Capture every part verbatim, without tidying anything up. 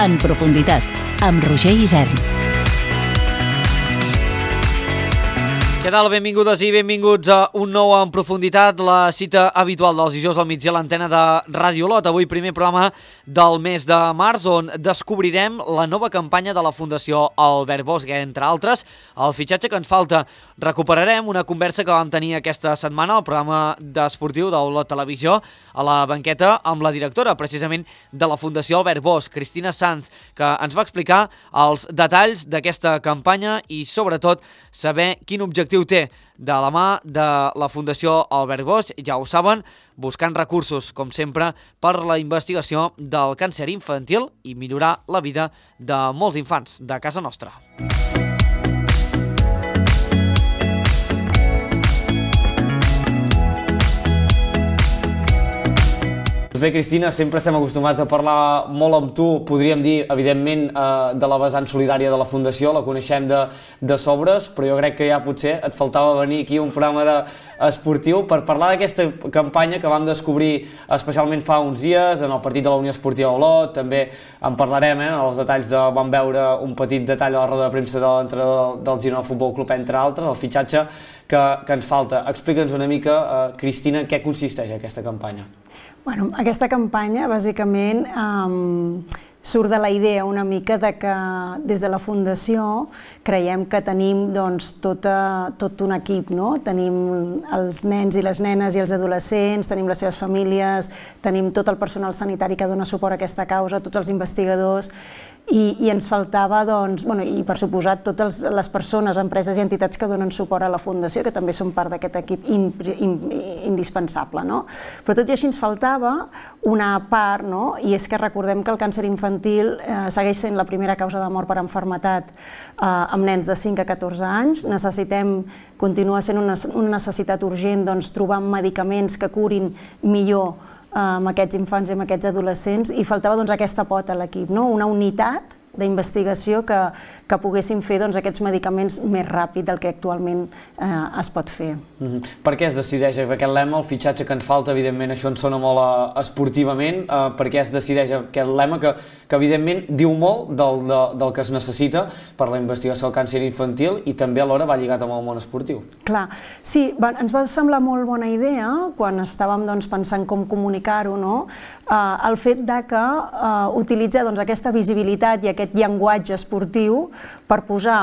En profunditat, amb Roger Isern. Què tal? Benvingudes i benvinguts a un nou En profunditat, la cita habitual dels dijous al migdia a l'antena de Ràdio Olot. Avui primer programa del mes de març, on descobrirem la nova campanya de la Fundació Albert Bosch, entre altres, el fitxatge que ens falta. Recuperarem una conversa que vam tenir aquesta setmana al programa d'esportiu d'Olot Televisió, a la banqueta, amb la directora, precisament, de la Fundació Albert Bosch, Cristina Sanz, que ens va explicar els detalls d'aquesta campanya i, sobretot, saber quin objectiu té de la mà de la Fundació Albert Bosch, ja ho saben, buscant recursos, com sempre, per la investigació del càncer infantil i millorar la vida de molts infants de casa nostra. Bé, Cristina, sempre estem acostumats a parlar molt amb tu, podríem dir, evidentment, eh, de la vessant solidària de la Fundació, la coneixem de, de sobres, però jo crec que ja potser et faltava venir aquí a un programa de, esportiu per parlar d'aquesta campanya que vam descobrir especialment fa uns dies en el partit de la Unió Esportiva Olot. També en parlarem, eh, els detalls de, vam veure un petit detall a la roda de premsa de l'entrenador del Girona Futbol Club, entre altres, el fitxatge que, que ens falta. Explica'ns una mica, eh, Cristina, què consisteix aquesta campanya. Bueno, aquesta campanya, bàsicament, um, surt de la idea una mica de que des de la Fundació creiem que tenim doncs, tota, tot un equip, no? Tenim els nens i les nenes i els adolescents, tenim les seves famílies, tenim tot el personal sanitari que dona suport a aquesta causa, tots els investigadors, i, i ens faltava, doncs, bueno, i per suposat, totes les persones, empreses i entitats que donen suport a la Fundació, que també són part d'aquest equip indispensable, no? Però tot i així ens faltava una part, no? I és que recordem que el càncer infantil eh, segueix sent la primera causa de mort per enfermetat eh, amb nens de cinc a catorze anys. Necessitem, continua sent una, una necessitat urgent, doncs, trobar medicaments que curin millor amb aquests infants i amb aquests adolescents, i faltava doncs, aquesta pota a l'equip, no? Una unitat d'investigació que, que poguessin fer doncs, aquests medicaments més ràpid del que actualment eh, es pot fer. Mm-hmm. Per què es decideix aquest lema, el fitxatge que ens falta, evidentment això ens sona molt uh, esportivament, uh, per què es decideix aquest lema que, que evidentment diu molt del, de, del que es necessita per la investigació del càncer infantil i també alhora va lligat amb el món esportiu? Clar, sí, va, ens va semblar molt bona idea quan estàvem doncs, pensant com comunicar-ho, no? uh, el fet de que uh, utilitzar doncs, aquesta visibilitat i aquest llenguatge esportiu per posar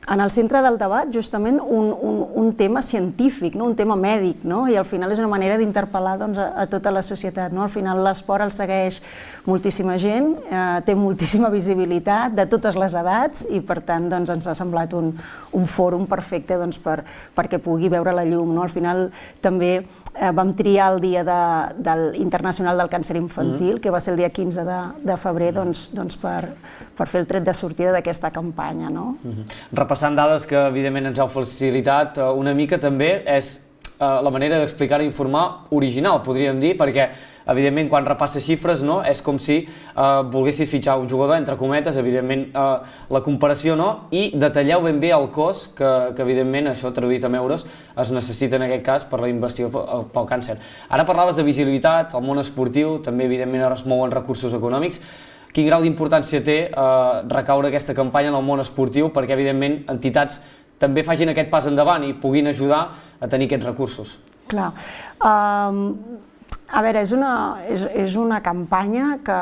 en el centre del debat justament un, un, un tema científic, no? Un tema mèdic, no? I al final és una manera d'interpel·lar doncs, a, a tota la societat, no? Al final l'esport el segueix moltíssima gent, eh, té moltíssima visibilitat de totes les edats i per tant doncs, ens ha semblat un, un fòrum perfecte doncs, per, perquè pugui veure la llum, no? Al final també eh, vam triar el dia de, del Internacional del Càncer Infantil, mm-hmm. que va ser el dia quinze de, de febrer, doncs, doncs per, per fer el tret de sortida d'aquesta campanya, no? Mm-hmm. Passant dades que evidentment ens heu facilitat una mica també és la manera d'explicar i informar original, podríem dir, perquè evidentment quan repasses xifres no, és com si eh, volguessis fitxar un jugador, entre cometes, evidentment eh, la comparació no, i detalleu ben bé el cost que, que evidentment, això traduït en euros, es necessita en aquest cas per la investigació pel càncer. Ara parlaves de visibilitat, el món esportiu, també evidentment es mouen recursos econòmics. Quin grau d'importància té eh, recaure aquesta campanya en el món esportiu perquè, evidentment, entitats també facin aquest pas endavant i puguin ajudar a tenir aquests recursos? Clar. Um, a veure, és una, és, és una campanya que,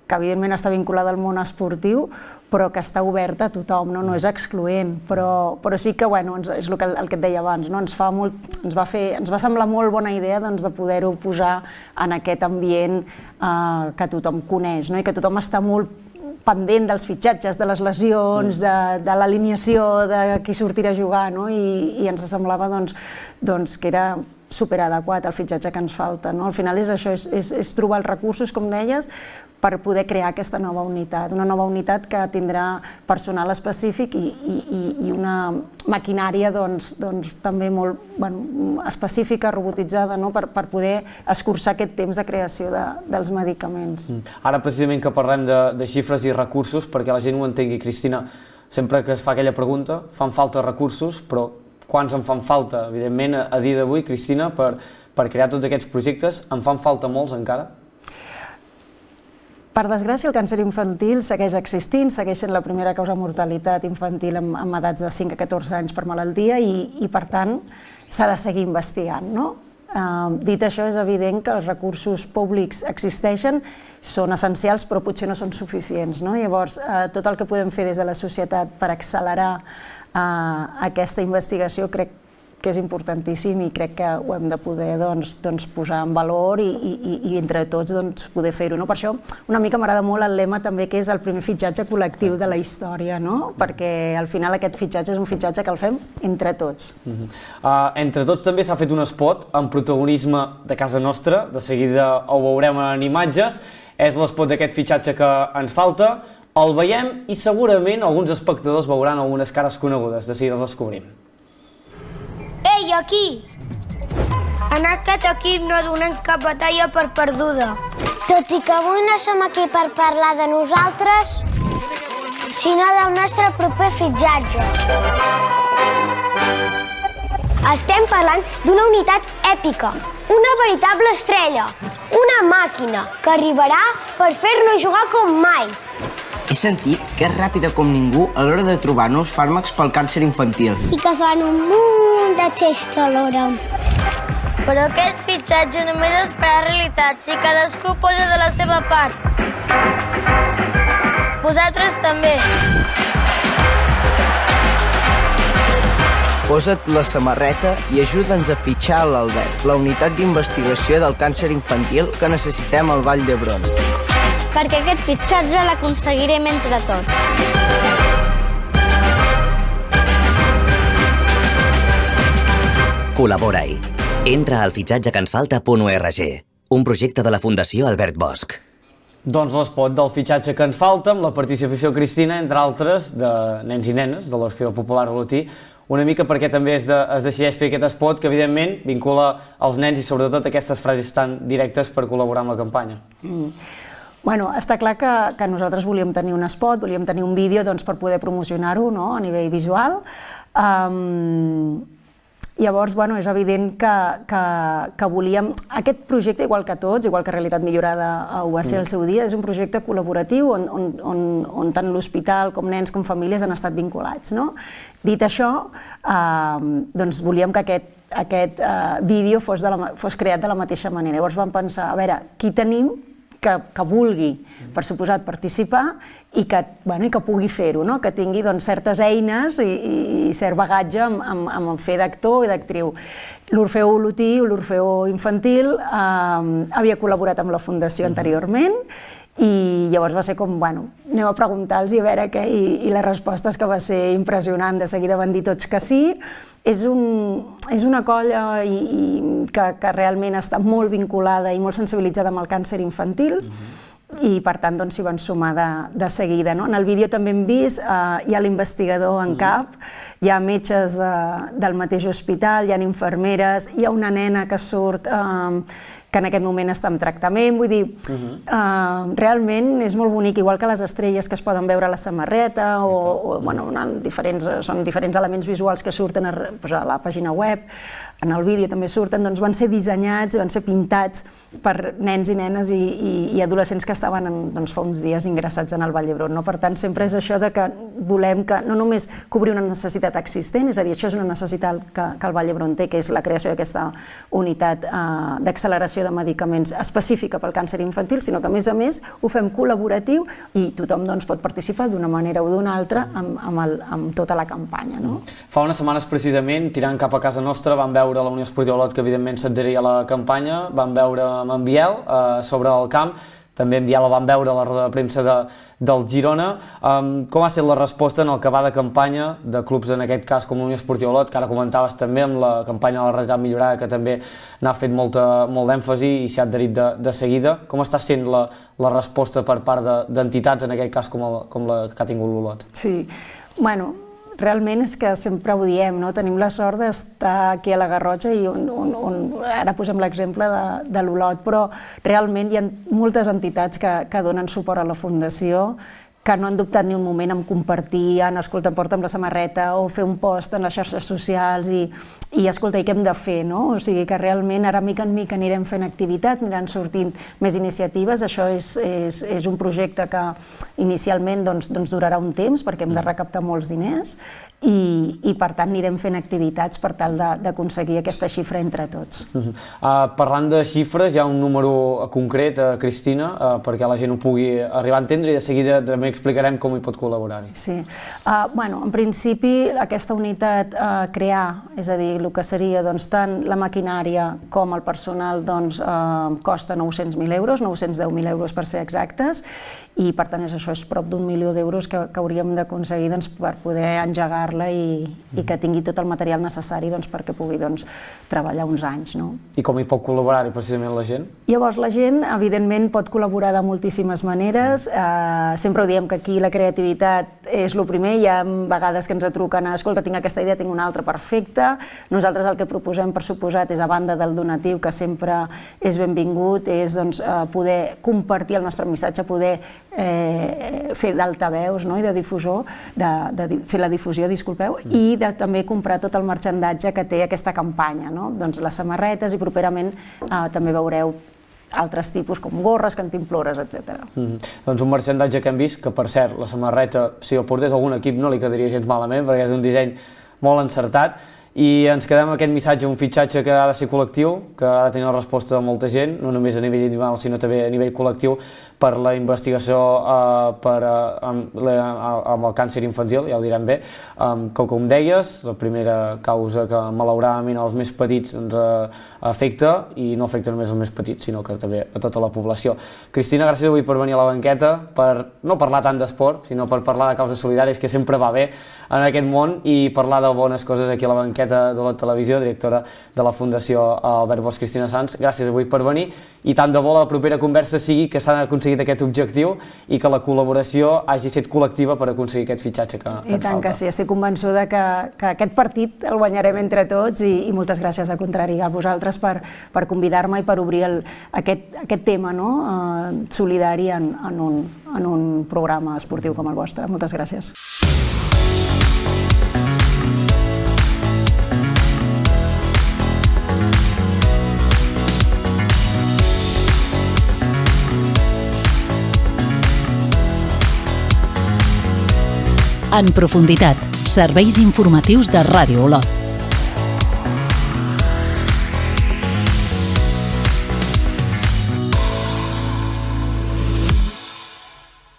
que evidentment està vinculada al món esportiu, però que està oberta a tothom, no, no és excloent, però, però sí que, bueno, és el que, el que et deia abans, no? ens, fa molt, ens, va fer, ens va semblar molt bona idea doncs, de poder-ho posar en aquest ambient eh, que tothom coneix, no? I que tothom està molt pendent dels fitxatges, de les lesions, de, de l'alineació, de qui sortirà a jugar, no? I, i ens semblava doncs, doncs, que era superadequat el fitxatge que ens falta, no? Al final és això, és, és, és trobar els recursos, com deies, per poder crear aquesta nova unitat, una nova unitat que tindrà personal específic i, i, i una maquinària doncs, doncs, també molt bueno, específica, robotitzada, no? per, per poder escurçar aquest temps de creació de, dels medicaments. Ara precisament que parlem de, de xifres i recursos, perquè la gent ho entengui, Cristina, sempre que es fa aquella pregunta, fan falta recursos, però quants en fan falta? Evidentment, a dia d'avui, Cristina, per, per crear tots aquests projectes, en fan falta molts encara? Per desgràcia, el càncer infantil segueix existint, segueix sent la primera causa de mortalitat infantil amb, amb edats de cinc a catorze anys per malaltia i, i per tant, s'ha de seguir investigant, no? Uh, dit això, és evident que els recursos públics existeixen, són essencials, però potser no són suficients, no? Llavors, uh, tot el que podem fer des de la societat per accelerar uh, aquesta investigació crec que és importantíssim i crec que ho hem de poder doncs, doncs posar en valor i, i, i entre tots doncs, poder fer-ho. No? Per això una mica m'agrada molt el lema també que és el primer fitxatge col·lectiu de la història, no? Perquè al final aquest fitxatge és un fitxatge que el fem entre tots. Uh-huh. uh, entre tots també s'ha fet un spot amb protagonisme de casa nostra, de seguida ho veurem en imatges, és l'espot d'aquest fitxatge que ens falta, el veiem i segurament alguns espectadors veuran algunes cares conegudes, de seguida els descobrim. Ei, aquí! En aquest equip no donem cap batalla per perduda. Tot i que avui no som aquí per parlar de nosaltres, sinó del nostre proper fitxatge. Estem parlant d'una unitat èpica, una veritable estrella, una màquina que arribarà per fer-nos jugar com mai. He sentit que és ràpida com ningú a l'hora de trobar nous fàrmacs pel càncer infantil. I que fan un munt de tests alhora. Però aquest fitxatge només es farà realitat si cadascú posa de la seva part. Vosaltres també. Posa't la samarreta i ajuda'ns a fitxar a l'Albert, la unitat d'investigació del càncer infantil que necessitem al Vall d'Hebron. Perquè aquest fitxatge l'aconseguirem entre tots. Col·labora-hi. Entra al fitxatge que ens falta punt org, un projecte de la Fundació Albert Bosch. Doncs l'espot del fitxatge que ens falta, amb la participació Cristina, entre altres, de nens i nenes de l'Orfeó Popular Olotí, una mica perquè també es, de, es decideix fer aquest espot que evidentment vincula els nens i sobretot aquestes frases tan directes per col·laborar amb la campanya. Mm. Bueno, està clar que, que nosaltres volíem tenir un spot, volíem tenir un vídeo doncs, per poder promocionar-ho, no?, a nivell visual. Um, llavors, bueno, és evident que, que, que volíem... Aquest projecte, igual que tots, igual que Realitat Millorada ho va ser al seu dia, és un projecte col·laboratiu on, on, on, on tant l'hospital com nens com famílies han estat vinculats, no? Dit això, uh, doncs volíem que aquest, aquest uh, vídeo fos, de la, fos creat de la mateixa manera. Llavors vam pensar, a veure, qui tenim que, que vulgui, per suposat, participar i que, bueno, i que pugui fer-ho, no? Que tingui doncs, certes eines i, i cert bagatge amb, amb, amb el fer d'actor i d'actriu. L'Orfeó Olotí, l'Orfeó Infantil, eh, havia col·laborat amb la Fundació anteriorment i llavors va ser com, bueno, anem a preguntar-los i a veure què, i, i la resposta és que va ser impressionant, de seguida van dir tots que sí. És, un, és una colla i, i que, que realment està molt vinculada i molt sensibilitzada amb el càncer infantil, uh-huh. i per tant doncs, s'hi van sumar de, de seguida. No? En el vídeo també hem vist, eh, hi ha l'investigador en cap, hi ha metges de, del mateix hospital, hi ha infermeres, hi ha una nena que surt eh, que en aquest moment està en tractament, vull dir, uh-huh. eh, realment és molt bonic, igual que les estrelles que es poden veure a la samarreta, o, o bueno, diferents, són diferents elements visuals que surten a, pues, a la pàgina web, en el vídeo també surten, doncs van ser dissenyats, van ser pintats per nens i nenes i, i, i adolescents que estaven en, doncs, fa uns dies ingressats en el Vall d'Hebron. No? Per tant, sempre és això de que volem que no només cobrir una necessitat existent, és a dir, això és una necessitat que, que el Vall d'Hebron té, que és la creació d'aquesta unitat eh, d'acceleració de medicaments específica pel càncer infantil, sinó que a més a més ho fem col·laboratiu i tothom doncs, pot participar d'una manera o d'una altra amb, amb, el, amb tota la campanya. No? Fa unes setmanes precisament, tirant cap a casa nostra, vam veure la Unió Esportiva Olot, que evidentment s'adheria a la campanya, vam veure amb en Biel eh, sobre el camp, també en Biel el vam veure a la roda de premsa de, del Girona. Um, com ha estat la resposta en el que va de campanya de clubs, en aquest cas com la Unió Esportiva Olot, que ara comentaves també amb la campanya de la Realitat Millorada, que també n'ha fet molta, molt d'èmfasi i s'ha adherit de, de seguida. Com està sent la, la resposta per part d'entitats, de, en aquest cas com, el, com la que ha tingut l'Olot? Sí, bueno, realment és que sempre ho diem, no? Tenim la sort d'estar aquí a la Garrotxa i on, on, on ara posem l'exemple de, de l'Olot, però realment hi ha moltes entitats que, que donen suport a la Fundació que no han dubtat ni un moment en compartir, en escolta, em porta'm la samarreta o fer un post en les xarxes socials i, i escolta, i què hem de fer, no? O sigui que realment ara mica en mica anirem fent activitat, aniran sortint més iniciatives, això és, és, és un projecte que inicialment doncs, doncs durarà un temps perquè hem de recaptar molts diners i, i per tant anirem fent activitats per tal d'aconseguir aquesta xifra entre tots. Uh -huh. uh, parlant de xifres, hi ha un número concret, uh, Cristina, uh, perquè la gent ho pugui arribar a entendre i de seguida també explicarem com hi pot col·laborar-hi. Sí. Uh, bueno, en principi aquesta unitat uh, crear, és a dir, el que seria doncs, tant la maquinària com el personal doncs, uh, costa nou-cents mil euros, nou-cents deu mil euros per ser exactes, i per tant és això, és prop d'un milió d'euros que, que hauríem d'aconseguir doncs, per poder engegar-la i, i que tingui tot el material necessari doncs, perquè pugui doncs, treballar uns anys. No? I com hi pot col·laborar-hi precisament la gent? Llavors la gent evidentment pot col·laborar de moltíssimes maneres, eh, sempre ho diem que aquí la creativitat és el primer, hi ha vegades que ens truquen, escolta, tinc aquesta idea, tinc una altra, perfecta. Nosaltres el que proposem, per suposat, és a banda del donatiu, que sempre és benvingut, és doncs, poder compartir el nostre missatge, poder eh, fer d'altaveus, no? I de difusor, de, de fer la difusió, disculpeu, mm. i de també comprar tot el marxandatge que té aquesta campanya, no? Doncs les samarretes i properament eh, també veureu altres tipus com gorres, cantimplores, etcètera. Mm-hmm. Doncs un marxandatge que hem vist, que per cert, la samarreta, si el portés algun equip no li quedaria gens malament, perquè és un disseny molt encertat, i ens quedem amb aquest missatge, un fitxatge que ha de ser col·lectiu, que ha de tenir la resposta de molta gent, no només a nivell individual, sinó també a nivell col·lectiu, per la investigació uh, per, uh, amb, la, amb el càncer infantil, ja ho direm bé, um, que com deies, la primera causa que malauradament als més petits ens uh, afecta, i no afecta només als més petits, sinó que també a tota la població. Cristina, gràcies avui per venir a la banqueta, per no parlar tant d'esport, sinó per parlar de causes solidàries, que sempre va bé en aquest món, i parlar de bones coses aquí a la banqueta de la televisió, directora de la Fundació Albert Bosch Cristina Sans. Gràcies avui per venir, i tant de bo la propera conversa sigui que s'ha aconseguit aquest objectiu i que la col·laboració hagi estat col·lectiva per aconseguir aquest fitxatge que, que I tant falta. Que sí, estic convençuda que, que aquest partit el guanyarem entre tots, i, i moltes gràcies al contrari a vosaltres per, per convidar-me i per obrir el, aquest, aquest tema, no? uh, solidari en, en, un, en un programa esportiu com el vostre. Moltes gràcies. En profunditat, serveis informatius de Ràdio Olot.